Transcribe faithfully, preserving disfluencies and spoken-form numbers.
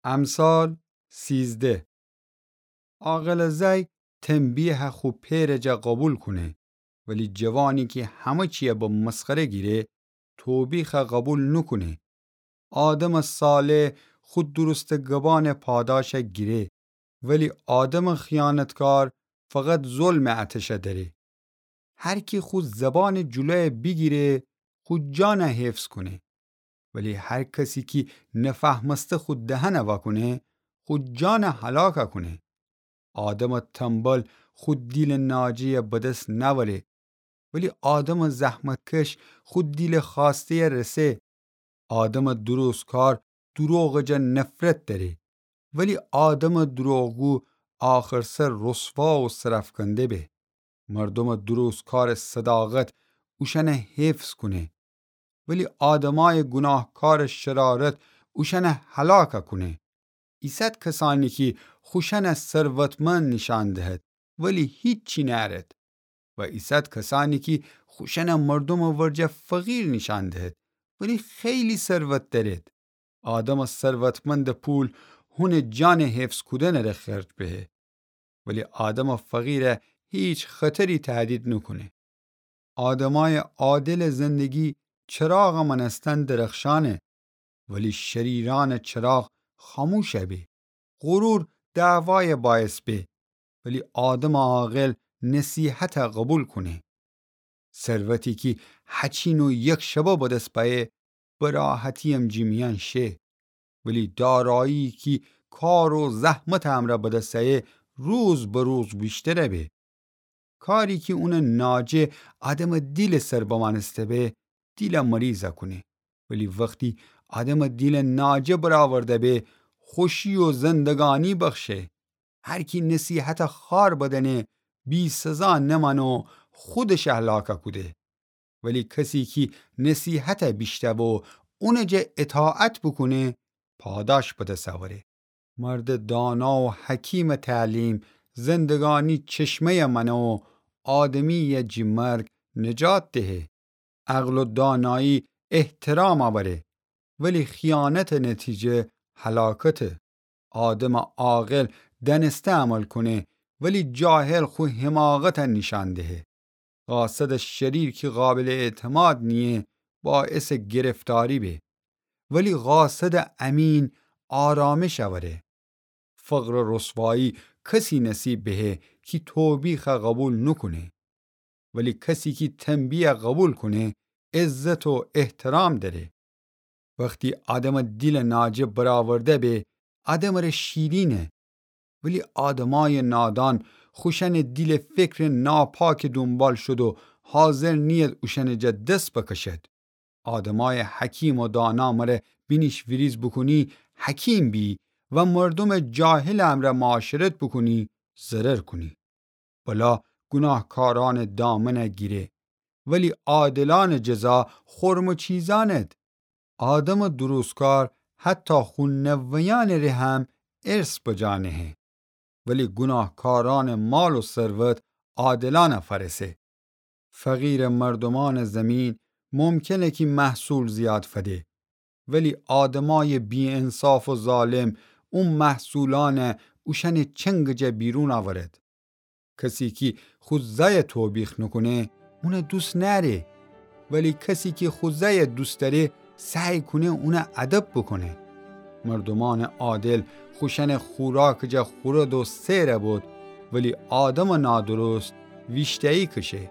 امثال سیزده. عاقلٚ زأی تنبیهٚ خو پئرٚ جا قوبیل کونه، ولی جوانی کی همه چیه به مسخره گیره، توبیخ قوبیل نوکونه. آدمٚ صالح خو درستٚ گبانٚ پاداش گیره، ولی آدمٚ خیانتکار فقط ظلمٚ اتش دأره. هر کی خو زبانٚ جلو بیگیره، خو جان حفظ کونه. ولی هر کسی کی نفهمسته خو دهن واکونه، خو جان هلاک کونه. آدمٚ تنبل خو دیلٚ ناجه بدس نأوره، ولی آدمٚ زحمتکش خو دیلٚ خوأسته رسه. آدمٚ درستکار دروغٚ جا نفرت دأره، ولی آدمٚ دروغگو آخرسر رسوا و سرأفکنده به. مردومٚ درستکارٚ صداقت اوشأن حفظ کونه، ولی آدمأیٚ گوناهکارٚ شرارت اوشأن هلاک کونه. ایسد کسأنی کی خوشأن ثروتمند نیشأن دهد، ولی هیچی نأرد. و ایسد کسأنی کی خوشأن مردومٚ ورجه فقیر نیشأن دهد، ولی خیلی ثروت دأرد. آدمٚ ثروتمندٚ پول هونٚ جانٚ حفظ کودنٚ ره خرج بهه، ولی آدمٚ فقیر هیچ خطری تهدید نوکونه. آدمأیٚ عادلٚ زندگی چراغٚ مأنستن درخشأنه، ولی شریرأنٚ چراغ خاموش به. غرور دعوایٚ باعث به، ولی آدمٚ عاقل نصیحت قوبیل کونه. ثروتی کی هچین و یک شبه بدس بأیه، به راحتی امجی میأن شه، ولی دارایی کی کار و زحمتٚ امرأ بدس أیه، روز به روز ویشتر به. کاری کی اونٚ ناجه آدمٚ دیلٚ سر بمأنسته به، دیل مریض کونه. ولی وختی آدمٚ دیلٚ ناجه برآورده به، خوشی و زندگانی بخشه. هر کی نصیحت خوار بدأنه، بی‌سزا نمأنه و خودش هلاک کوده. ولی کسی کی نصیحت بیشنوه و اونٚ جا اطاعت بوکونه، پاداش بدس اوره. مردٚ دانا و حکیمٚ تعلیم زندگانی چشمه‌یه مأنه و آدمی‌یه جی مرگ نجات دهه. عقل و دانایی احترام اوره، ولی خیانتٚ نتیجه هلاکته. آدمٚ عاقل دأنسته عمل کونه، ولی جاهل خو حماقت نیشأن دهه. قاصدٚ شریر کی قابلٚ اعتماد نییه، باعثٚ گرفتاری به، ولی قاصدٚ امین آرامش اوره. فقر و رسوایی کسی نصیب بهه کی توبیخ قبول نوکونه، ولی کسی کی تنبیه قبول کونه، عزت و احترام دأره. وختی آدمٚ دیلٚ ناجه برآورده به، آدمٚ ره شیرینه. ولی آدمأیٚ نادان خوشأنٚ دیلٚ فکرٚ ناپاکٚ دونبال شود و حاضر نیید اوشأنٚ جا دس بکشد. آدمأیٚ حکیم و دانا مره بینیش ویریز بوکونی، حکیم بی و مردومٚ جاهلٚ امرأ معاشرت بوکونی، ضرر کونی. بلا گوناهکارأنٚ دامنه گیره، ولی عادلأنٚ جزا خورم و چیزأنه. آدمٚ درستکار حتی خو نوه‌یأنٚ ره هم ارث بجا نهه، ولی گوناهکارأنٚ مال و ثروت عادلأنه فأرسه. فقیرٚ مردومأنٚ زیمین ممکنه کی محصول زیاد فده، ولی آدمأیٚ بی‌انصاف و ظالم او محصولأنه اوشأنٚ چنگٚ جا بیرون آورد. کسی کی خو زأیه توبیخ نوکونه، اونه دوست نأره، ولی کسی کی خو زأیه دوست دأره، سعی کونه اونه ادب بوکونه. مردومأنٚ عادل خوشأنٚ خوراکٚ جا خورد و سئر بود، ولی آدمٚ نادرست ویشتایی کشه.